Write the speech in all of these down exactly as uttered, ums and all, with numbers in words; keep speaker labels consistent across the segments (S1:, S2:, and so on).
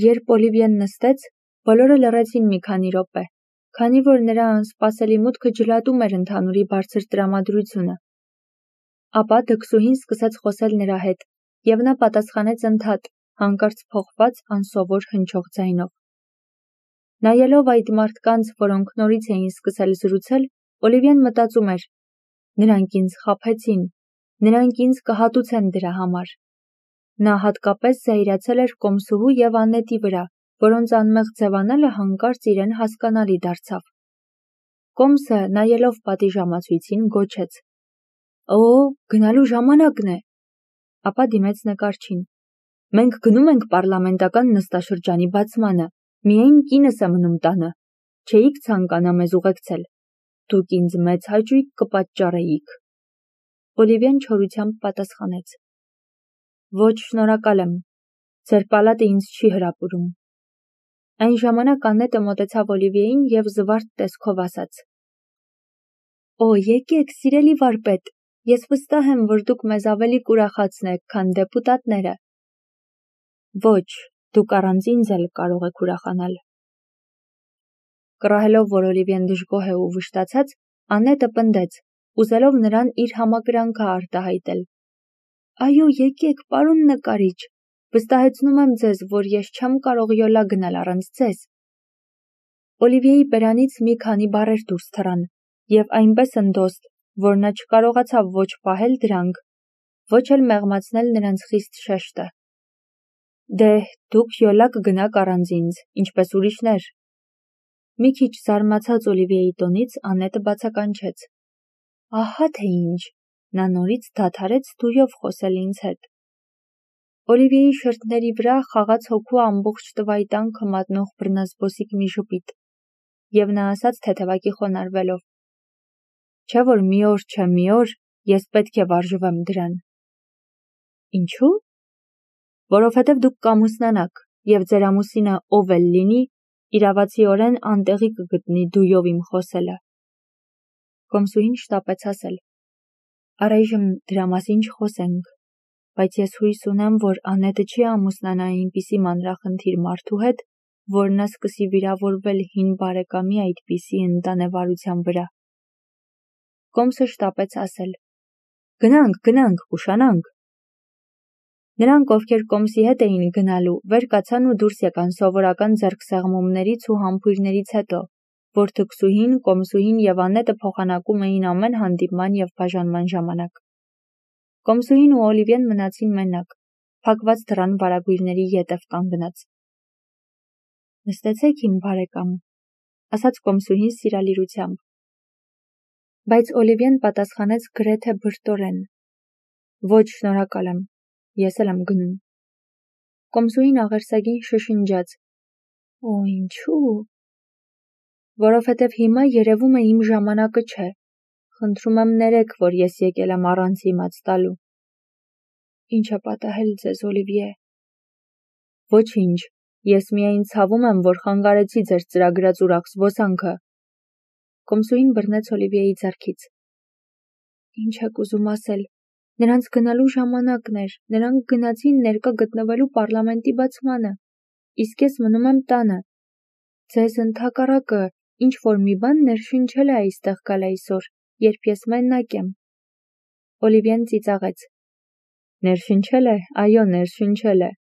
S1: Երբ Օլիվիեն նստեց, բոլորը լռեցին մի քանի րոպե, քանի որ նրա անսպասելի մուտքը ջլատում էր ընդհանուրի բարձր տրամադրությունը։ Ապա դքսուհին սկսեց խոսել նրա հետ, և նա պատասխանեց ընդհատ, հանկարծ փոխված անսովոր հնչող ձայնով։ Նայելով այդ մարդկանց, որոնք նորից էին սկսել զրուցել, Օլիվիեն մտածում էր. նրանք ինձ խաբեցին, նրանք ինձ կհատուցեն դրա համար։ Նա հատկապես զայրացել էր կոմսուհու և Աննետի վրա, որոնց անմեղ ձևանալը հանկարծ իրեն հասկանալի դարձավ։ Կոմսը, նայելով պատիժամացույցին, գոչեց. «Օ, գնալու ժամանակն է»։ Ապա դիմեց նկարչին. «Մենք գնում ենք պառլամենտական նստաշրջանի բացմանը, միայն կինս է մնում տանը, չէիք ցանկանա մեզ ուղեկցել, դուք ինձ մեծ հաճույք կպատճառեիք»։ Օլիվիեն չորությամբ պատասխանեց. «Ոչ, շնորհակալ եմ, ձեր պալատը ինձ չի հրապուրում»։ Այն ժամանակ Աննետը մոտեցավ Օլիվիեին և զվարթ տեսքով ասաց. «Օ, եկեք, սիրելի վարպետ, ես վստահ եմ, որ դուք մեզ ավելի կուրախացնեք, քան դեպուտատները»։ «Ոչ, դուք առանց ինձ էլ կարող եք ուրախանալ»։ Կռահելով, որ Օլիվիեն դժգոհ է ու վշտացած, Աննետը պնդեց, ուզելով նրան իր համակրանքը արտահայտել. «Այո, եկեք, պարոն նկարիչ, վստահեցնում եմ ձեզ, որ ես չեմ կարող յոլա գնալ առանց ձեզ»։ Օլիվիեի բերանից մի քանի բառեր դուրս թռան, և այնպես ընդոստ, որ նա չկարողացավ ոչ պահել դրանք, ոչ էլ մեղմացնել նրանց խիստ շեշտը։ «Դե, դուք յոլա կգնաք առանց ինձ, ինչպես ուրիշներ»։ Մի քիչ զարմացած Օլիվիեի տոնից, Աննետը բացականչեց. «Ահա թե ինչ, նա նորից դադարեց դույով խոսել ինձ հետ»։ Օլիվիեի շրթների վրա խաղաց հոգու ամբողջ տվայտանքը մատնող բռնազբոսիկ մի ժպիտ, և նա ասաց թեթևակի խոնարհվելով. «Չէ՞ որ մի օր չէ մի օր ես պետք է վարժվեմ դրան»։ «Ինչու՞։ Որովհետև դուք կամուսնանաք, և ձեր ամուսինը ով էլ լինի, իրավացիորեն անտեղի կգտնի դույով իմ խոսելը»։ Կոմսուհին շտապեց ասել. «Առայժմ դրա մասին չխոսենք, բայց ես հույս ունեմ, որ Աննետը չի ամուսնանա այնպիսի մանրախնդիր մարդու հետ, որ նա սկսի վիրավորվել հին բարեկամի այդպիսի ընտանեվարության վրա»։ Կոմսը շտապեց ասել. «Գնանք, գնանք, կուշանանք»։ Նրանք, ովքեր կոմսի հետ էին գնալու, վեր կացան ու դուրս եկան սովորական ձեռքսեղմումներից ու համբույրներից հետո, որ դքսուհին, կոմսուհին և Աննետը փոխանակում էին ամեն հանդիպման և բաժանման ժամանակ։ Կոմսուհին ու Օլիվիեն մնացին մենակ, փակված դռան վարագույրների ետև կանգնած։ «Նստեցեք, իմ բարեկամ», ասաց կոմսուհին սիրալիրությամբ։ Բայց Օլիվիեն պատասխանեց գրեթե բրտորեն. «Ոչ, շնորհակալ եմ, ես էլ եմ գնում»։ Կոմսուհին աղերսագին շշնջաց. «Օ, ինչու՞։ Որովհետև հիմա երևում է իմ ժամանակը չէ, խնդրում եմ ներեք, որ ես եկել եմ առանց իմաց տալու»։ «Ինչ է պատահել ձեզ, Օլիվիե»։ «Ոչինչ, ես միայն ցավում եմ, որ խանգարեցի ձեր ծրագրած ուրախ զբոսանքը»։ Կոմսուհին բռնեց Օլիվիեի ձեռքից. «Ինչ եք ուզում ասել, նրանց գնալու ժամանակն էր, նրանք գնացին ներկա գտնվելու պառլամենտի բացմանը, իսկ ես մնում եմ տանը։ Ձեզ ընդհակառակը, ինչ-որ մի բան ներշնչել է այստեղ գալ այսօր, երբ ես մենակ եմ»։ Օլիվիեն ծիծաղեց. «Ներշնչել է, այո, ներշնչել է»։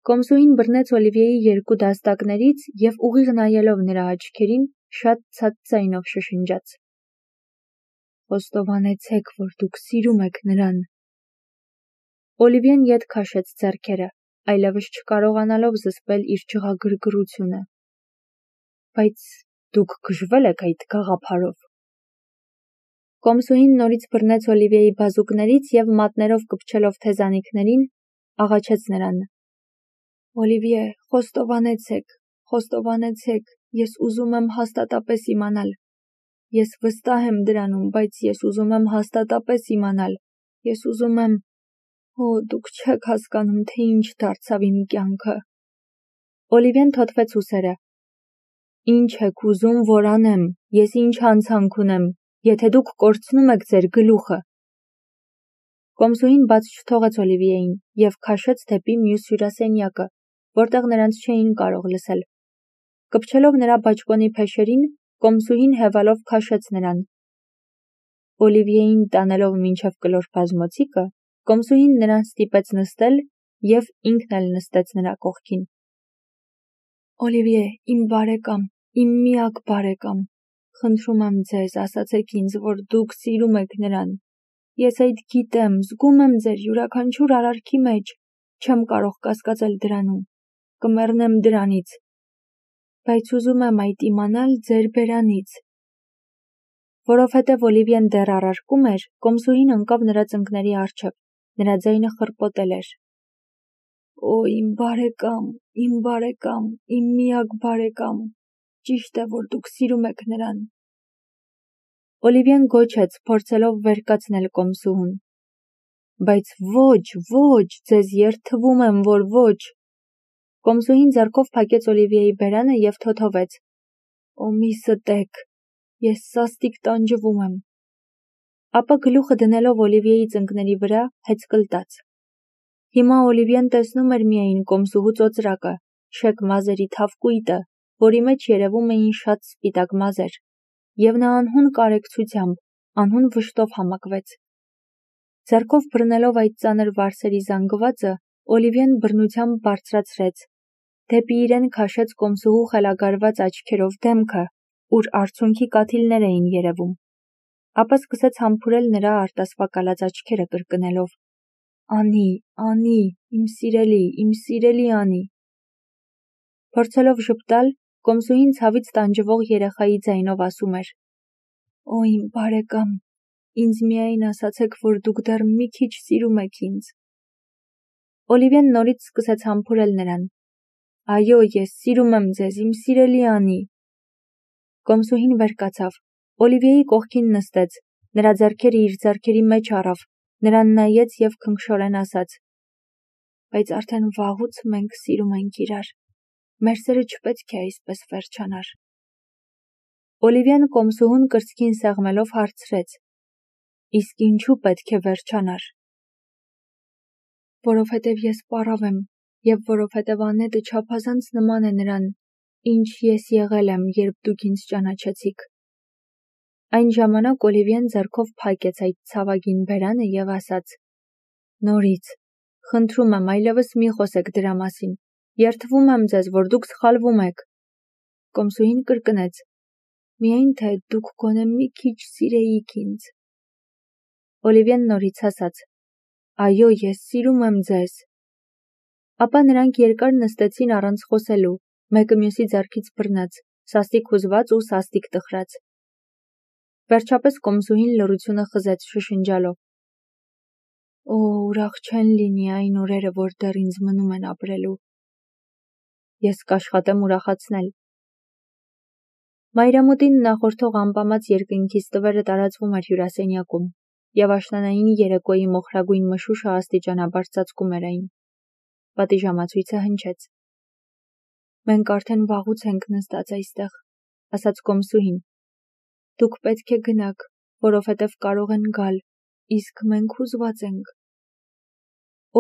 S1: Կոմսուհին բռնեց Օլիվիեի երկու դաստակներից և ուղիղ նայելով նրա աչքերին, շատ ցած ձայնով շշնջաց. «Խոստովանեցեք, որ դուք սիրում եք նրան»։ Օլիվիեն ետ քաշեց ձեռքերը, այլևս չկարողանալով զսպել իր ջղագրգռությունը։ «Բայց դուք գժվել եք այդ գաղափարով»։ Կոմսուհին նորից բռնեց Օլիվիեի բազուկներից և մատներով կպչելով թեզանիքներին, աղաչեց նրան. «Օլիվիե, խոստովանեցեք, խոստովանեցեք, ես ուզում եմ հաստատապես իմանալ։ Ես վստահ եմ դրանում, բայց ես ուզում եմ հաստատապես իմանալ, ես ուզում եմ… Օ, դուք չեք հասկանում, թե ինչ դարձավ իմ կյանքը»։ Օլիվիեն թոթվեց ուսերը. «Ինչ եք ուզում, որ անեմ, ես ինչ հանցանք ունեմ, եթե դուք կորցնում եք ձեր գլուխը»։ Կոմսուհին բաց չթողեց Օլիվիեին և քաշեց դեպի մյուս հյուրասենյակը, որտեղ նրանց չէին կարող լսել։ Կպչելով նրա բաճկոնի փեշերին, կոմսուհին հևալով քաշեց նրան։ Օլիվիեին տանելով մինչև կլոր բազմոցիկը, կոմսուհին նրան ստիպեց նստել և ինքն էլ նստեց նրա կողքին։ Օլիվիե, իմ բարեկամ, իմ միակ բարեկամ, խնդրում եմ ձեզ, ասացեք ինձ, որ դուք սիրում եք նրան։ Ես այդ գիտեմ, զգում եմ ձեր յուրաքանչյուր արարքի մեջ, չեմ կարող կասկածել դրանում, կմեռնեմ դրանից, բայց ուզում եմ այդ իմանալ ձեր բերանից։ Որովհետև Օլիվիեն դեռ առարկում էր, կոմսուհին ընկավ նրա ծնկների առջև, նրա ձայնը խռպոտել էր։ Օ, իմ բարեկամ, իմ բարեկամ, իմ միակ բարեկամ, ճիշտ է, որ դուք սիրում եք նրան։ Օլիվիեն գոչեց, փորձելով վեր կացնել կոմսուհուն։ Բայց ոչ, ոչ, ձեզ երդվում եմ, որ ոչ։ Կոմսուհին ձեռքով փակեց Օլիվիեի բերանը և թոթովեց։ Օ, մի ստեք, ես սաստիկ տանջվում եմ։ Ապա գլուխը դնելով Օլիվիեի ծնկների վրա, հեծկլտաց։ Հիմա Օլիվիեն տեսնում էր միայն կոմսուհու ծոծրակը, շեք մազերի թավ կույտը, որի մեջ երևում էին շատ սպիտակ մազեր, և նա անհուն կարեկցությամբ, անհուն վշտով համակվեց։ Ձեռքով բռնելով այդ ծանր վարսերի զանգվածը, Օլիվիեն բռնությամբ բարձրացրեց, դեպի իրեն քաշեց կոմսուհու խելագարված աչքերով դեմքը, ուր արցունքի կաթիլներ էին երևում, ապա սկսեց համբուրել նրա արտասվակալած աչքերը կրկնելով. Անի, Անի, իմ սիրելի, իմ սիրելի Անի։ Փորձելով ժպտալ, կոմսուհին ցավից տանջվող երեխայի ձայնով ասում էր. Օ, իմ բարեկամ, ինձ միայն ասացեք, որ դուք դեռ մի քիչ սիրում եք ինձ։ Օլիվիեն նորից սկսեց համբուրել նրան. Այո, ես սիրում եմ ձեզ, իմ սիրելի Անի։ Կոմսուհին վեր կացավ, Օլիվիեի կողքին նստեց, նրա ձեռքերը իր ձեռքերի մեջ առավ, նրան նայեց և քնքշորեն ասաց. Բայց արդեն վաղուց մենք սիրում ենք իրար, մեր սերը չպետք է այսպես վերջանար։ Օլիվիեն կոմսուհուն կրծքին սեղմելով հարցրեց. Իսկ ինչու պետք է վերջանար։ Որովհետև ես պառավ եմ, և որովհետև Անետը չափազանց նման է նրան, ինչ ես եղել եմ, երբ դուք ինձ ճանաչեցիք։ Այն ժամանակ Օլիվիեն ձեռքով փակեց այդ ցավագին բերանը և ասաց. Նորից, խնդրում եմ, այլևս մի խոսեք դրա մասին, երդվում եմ ձեզ, որ դուք սխալվում եք։ Կոմսուհին կրկնեց. Միայն թե դուք գոնե մի քիչ սիրեիք ինձ։ Օլիվիեն նորից ասաց. Այո, ես սիրում եմ ձեզ։ Ապա նրանք երկար նստեցին առանց խոսելու, մեկը մյուսի ձեռքից բռնած, սաստիկ հուզված ու սաստիկ տխրած։ Վերջապես կոմսուհին լռությունը խզեց շշնջալով. Օ, ուրախ չեն լինի այն օրերը, որ դեռ ինձ մնում են ապրելու։ Ես կաշխատեմ ուրախացնել։ Մայրամուտին նախորդող անպամած երկնքի ստվերը տարածվում էր հյուրասենյակում, և աշնանային երեկոյի մոխրագույն մշուշը աստիճանաբար ծածկում էր այն։ Պատիժամացույցը հնչեց։ Մենք արդեն վաղուց ենք նստած այստեղ, ասաց կոմսուհին։ Դուք պետք է գնաք, որովհետև կարող են գալ, իսկ մենք հուզված ենք։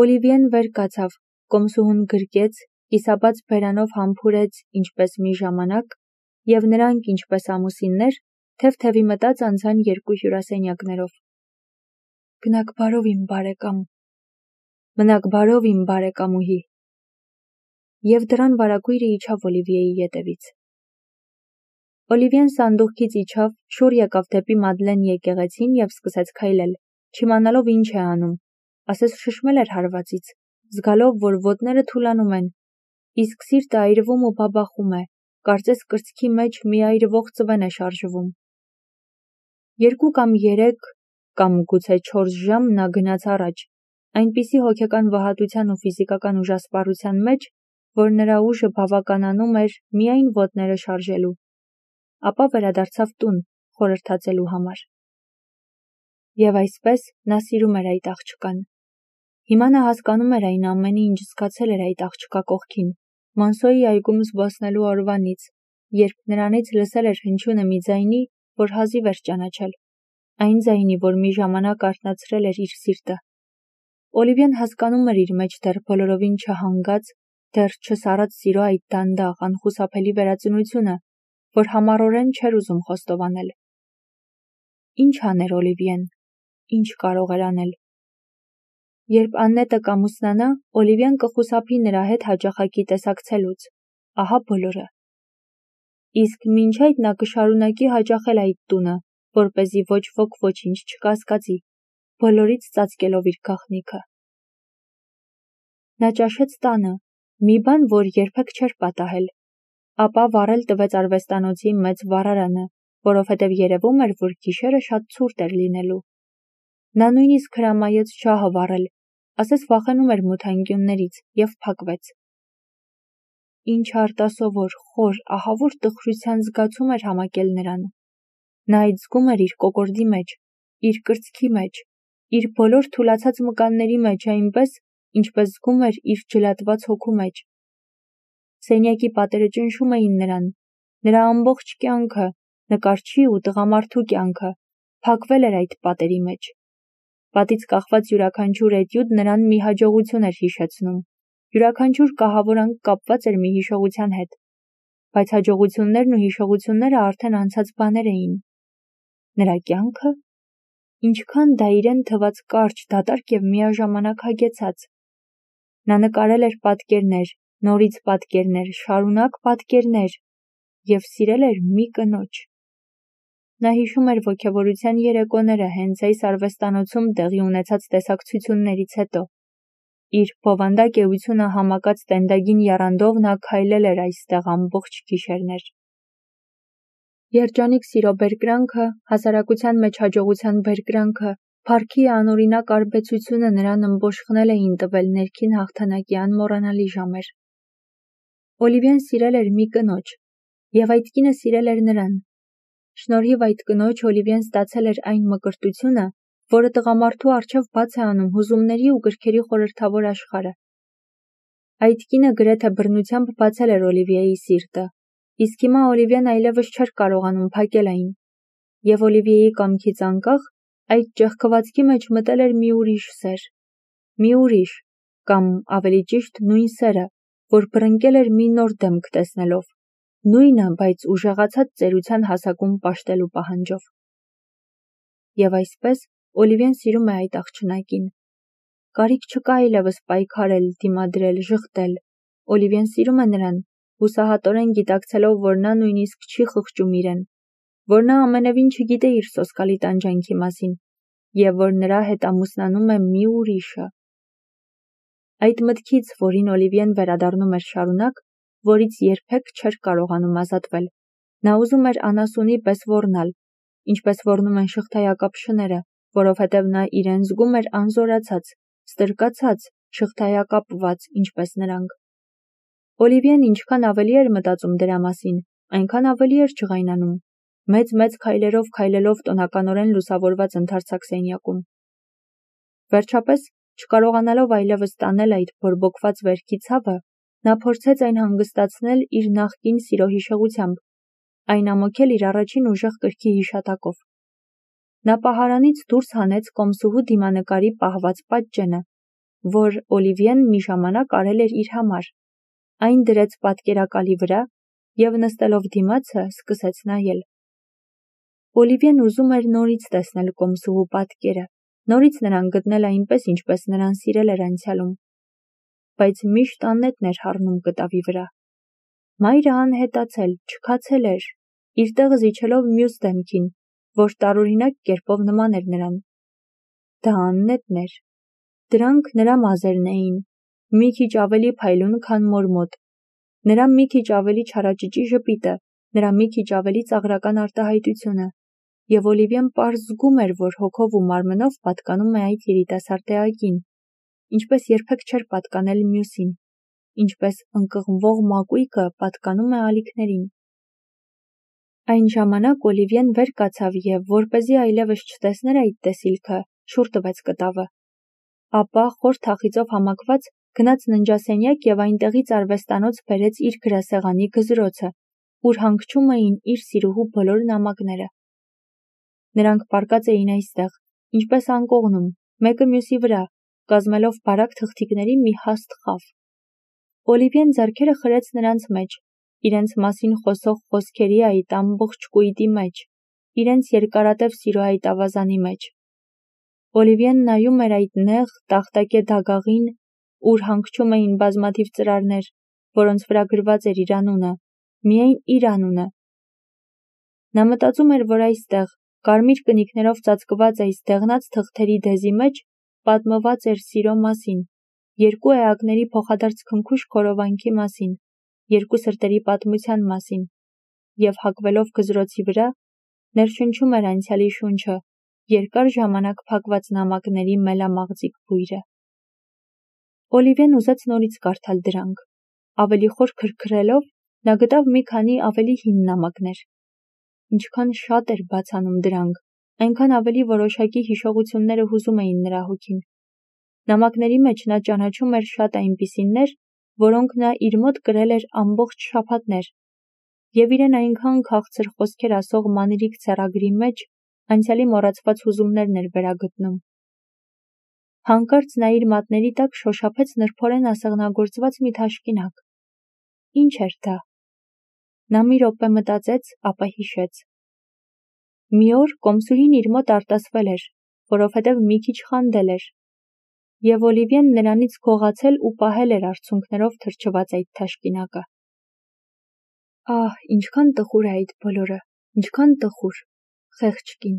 S1: Օլիվիեն վեր կացավ, կոմսուհուն գրկեց, կիսաբաց բերանով համբուրեց ինչպես մի ժամանակ, և նրանք, ինչպես ամուսիններ, թև-թևի մտած անցան երկու հյուրասենյակներով։ Գնաք բարով, իմ բարեկամ։ Մնաք բարով, իմ բարեկամուհի։ Եվ դռան վարագույրը իջավ Օլիվիեի ետևից։ Օլիվիեն սանդուղքից իջավ, շուռ եկավ դեպի Մադլեն եկեղեցին և սկսեց քայլել, չիմանալով ինչ է անում, ասես շշմել էր հարվածից, զգալով, որ ոտները թուլանում են, իսկ սիրտը այրվում ու բաբախում է, կարծես կրծքի մեջ մի այրվող ծվեն է շարժվում։ Երկու կամ երեք կամ գուցե չորս ժամ նա գնաց առաջ, այնպիսի հոգեկան վհատության ու ֆիզիկական ուժասպառության մեջ, որ նրա ուժը բավականանում էր միայն ոտները շարժելու։ Ապա վերադարձավ տուն, խորհրդածելու համար։ Եվ այսպես նա սիրում էր այդ աղջկան։ Հիմա նա հասկանում էր այն ամենը, ինչ զգացել էր այդ աղջկա կողքին, Մանսոյի այգում զբոսնելու օրվանից, երբ նրանից լսել էր հնչյունը մի ձայնի, որ հազիվ էր ճանաչել, այն ձայնի, որ մի ժամանակ արթնացրել էր իր սիրտը։ Օլիվիեն հասկանում էր իր մեջ դեռ բոլորովին չհանգած, դեռ չսառած սիրո այդ դանդաղ, անխուսափելի վերածնությունը, որ համառորեն չէր ուզում խոստովանել։ Ինչ աներ Օլիվիեն, ինչ կարող էր անել։ Երբ Աննետը կամուսնանա, Օլիվիան կխուսափի նրա հետ հաճախակի տեսակցելուց, ահա բոլորը։ Իսկ մինչ այդ նա կշարունակի հաճախել այդ տունը, որպեսզի ոչ ոք ոչինչ չկասկածի, բոլորից ծածկելով իր գաղտնիքը։ Նա ճաշեց տանը, մի բան, որ երբեք չէր պատահել, ապա վառել տվեց արվեստանոցի մեծ վառարանը, որովհետև երևում էր, որ գիշերը շատ ցուրտ էր լինելու։ Նա նույնիսկ հրամայեց շահը վառել, ասես վախենում էր մութանկյուններից, և փակվեց։ Ինչ արտասովոր, խոր, ահավոր տխրության զգացում էր համակել նրան։ Նա այդ զգում էր իր կոկորդի մեջ, իր կրծքի մեջ, իր բոլոր թուլացած մկանների մեջ այնպես, ինչպես զգում էր իր ջլատված հոգու մեջ։ Սենյակի պատերը ճնշում էին նրան, նրա ամբողջ կյանքը, նկարչի ու տղամարդու կյանքը, փակվել էր այդ պատերի մեջ։ Պատից կախված յուրաքանչյուր էտյուդ նրան մի հաջողություն էր հիշեցնում, յուրաքանչյուր կահավորանք կապված էր մի հիշողության հետ, բայց հաջողություններն ու հիշողությունները արդեն անցած բաներ էին։ Նրա կյանքը, ինչքան դա իրեն թված կարճ, դատարկ և միաժամանակ հագեցած։ Նա նկարել էր պատկերներ, նորից պատկերներ, շարունակ պատկերներ և սիրել էր մի կնոջ։ Նա հիշում էր ոգևորության երեկոները հենց այս արվեստանոցում տեղի ունեցած տեսակցություններից հետո։ Իր բովանդակ էությունը համակած տենդագին եռանդով նա քայլել էր այստեղ ամբողջ գիշերներ։ Երջանիկ սիրո բերկրանքը, հասարակության մեջ հաջողության բերկրանքը, փառքի անօրինակ արբեցությունը նրան ըմբոշխնել էին տվել ներքին հաղթանակի անմոռանալի ժամեր։ Օլիվիան սիրել էր մի կնոջ, և այդ կինը սիրել էր նրան։ Շնորհիվ այդ կնոջ Օլիվիան ստացել էր այն մկրտությունը, որը տղամարդու առջև բաց է անում հուզումների ու գրքերի խորհրդավոր աշխարհը։ Այդ կինը գրեթե բռնությամբ բացել էր Օլիվիայի սիրտը, իսկ հիմա Օլիվիան այլևս չէր կարողանում փակել այն, և Օլիվիայի կամքից անկախ, այդ ճեղքվածքի մեջ մտել էր մի ուրիշ սեր, մի ուրիշ, կամ ավելի ճիշտ նույն սերը, որ բռնկել էր մի նոր դեմք տեսնելով, նույնը, բայց ուժեղացած ծերության հասակում պաշտելու պահանջով։ Եվ այսպես Օլիվիան սիրում է այդ աղջնակին։ Կարիք չկա այլևս պայքարել, դիմադրել, ժխտել։ Օլիվիան սիրում է նրան, հուսահատորեն գիտակցելով, որ նա նույնիսկ չի խղճում իրեն, որ նա ամենևին չգիտե իր սոսկալի տանջանքի մասին, և որ նրա հետ ամուսնանում է մի ուրիշը։ Այդ մտքից, որին Օլիվիան վերադառնում էր շարունակ, որից երբեք չէր կարողանում ազատվել, նա ուզում էր անասունի պես ոռնալ, ինչպես ոռնում են շղթայակապ շները, որովհետև նա իրեն զգում էր անզորացած, ստրկացած, շղթայակապված, ինչպես նրանք։ Օլիվիան ինչքան ավելի էր մտածում դրա մասին, այնքան ավելի էր ջղայնանում, մեծ-մեծ քայլերով քայլելով տոնականորեն լուսավորված ընդարձակ սենյակում։ Վերջապես, չկարողանալով այլևս տանել այդ բորբոքված վերքի ցավը, նա փորձեց այն հանգստացնել իր նախկին սիրո հիշողությամբ, այն ամոքել իր առաջին ուժեղ կրքի հիշատակով։ Նա պահարանից դուրս հանեց կոմսուհու դիմանկարի պահված պատճենը, որ Օլիվիան մի ժամանակ արել էր իր համար, այն դրեց պատկերակալի վրա և նստելով դիմացը սկսեց նայել։ Օլիվիան ուզում էր նորից տեսնել կոմսուհու պատկերը, նորից նրան գտնել այնպես, ինչպես նրան սիրել էր անցյալում, բայց միշտ Աննետն էր հառնում կտավի վրա։ Մայրը անհետացել, չքացել էր, իր տեղը զիջելով մյուս դեմքին, որ տարօրինակ կերպով նման էր նրան։ Դա Աննետն էր։ Դրանք նրա մազերն էին, մի քիչ ավելի փայլուն, քան մոր մոտ, նրա մի քիչ ավելի չարաճճի ժպիտը, նրա մի քիչ ավելի ծաղրական արտահայտությունը, և Օլիվիան պարզ զգում էր, որ հոգով ու մարմնով պատկանում է այդ երիտասարդ էակին, ինչպես երբեք չէր պատկանել մյուսին, ինչպես ընկղմվող մակույկը պատկանում է ալիքներին։ Այն ժամանակ Օլիվիան վեր կացավ և, որպեսզի այլևս չտեսներ այդ տեսիլքը, շուռ տվեց կտավը։ Ապա, խոր թախիծով համակված, գնաց ննջասենյակ և այնտեղից արվեստանոց բերեց իր գրասեղանի գզրոցը, ուր հանգչում էին իր սիրուհու բոլոր նամակները։ Նրանք պառկած էին այստեղ, ինչպես անկողնում, մեկը մյուսի վրա, կազմելով բարակ թղթիկների մի հաստ խավ։ Օլիվիեն ձեռքերը խրեց նրանց մեջ, իրենց մասին խոսող խոսքերի այդ ամբողջ կույտի մեջ, իրենց երկարատև սիրո այդ ավազանի մեջ։ Օլիվիեն նայում էր այդ նեղ, տախտակե դագաղին, ուր հանգչում էին բազմաթիվ ծրարներ, որոնց վրա գրված էր իր անունը, միայն իր անունը։ Նա մտածում էր, որ այստեղ, կարմիր կնիկներով ծածկված այս դեղնած թղթերի դեզի մեջ պատմված էր սիրո մասին, երկու էակների փոխադարձ քնքուշ քորովանքի մասին, երկու սրտերի պատմության մասին, և հագվելով գզրոցի վրա, ներշնչում էր անցյալի շունչը, երկար ժամանակ փակված նամակների մելամաղձիկ բույրը։ Օլիվիեն ուզեց նորից կարդալ դրանք։ Ավելի խոր քրքրելով, նա գտավ մի քանի ավելի հին նամակներ։ Ինչքան շատ էր բացանում դրանք, այնքան ավելի որոշակի հիշողությունները հուզում էին նրա հոգին։ Նամակների մեջ նա ճանաչում էր շատ այնպիսիներ, որոնք նա իր մոտ կրել էր ամբողջ շաբաթներ, և իրեն այնքան քաղցր խոսքեր ասող մանրիկ ցեռագրի մեջ անցյալի մոռացված հուզումներն էր վերագտնում։ Հանկարծ նա իր մատների տակ շոշափեց նրբորեն ասեղնագործված մի թաշկինակ։ Ինչ էր դա։ Նա մի րոպե մտածեց, ապա հիշեց։ Մի օր կոմսուրին իր մոտ արտասվել էր, որովհետև մի քիչ խանդել էր, և Օլիվիեն նրանից գողացել ու պահել էր արցունքներով թրջված այդ թաշկինակը։ Ահ, ինչքան տխուր է այդ բոլորը, ինչքան տխուր, խեղճ կին։